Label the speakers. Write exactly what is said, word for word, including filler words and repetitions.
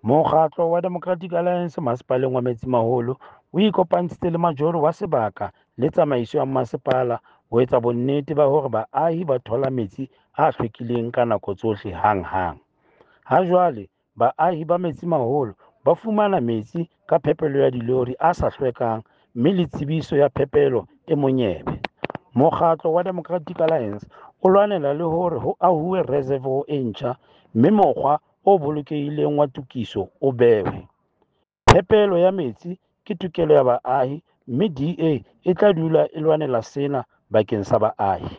Speaker 1: Mokgatlo wa Democratic Alliance Masepaleng wa Metsimaholo o ikopantshitse le majoro wa sebaka le tsamaiso ya masepala ho etsa bonnete ba hore baahi ba thola metsi a hlwekileng ka nako tsohle hanghang. Ha jwale baahi ba Metsimaholo ba fumana metsi ka phepelo ya dilori a sa hlwekang mme le tsebiso ya phepelo e monyebe. Mokgatlo wa Democratic Alliance o lwanela le hore ho ahuwe reservoir e ntjha mme mokgwa o bolokehileng wa tokiso o behwe. Phepelo ya metsi ke tokelo ya baahi mme D A e tla dula e lwanela sena bakeng sa baahi.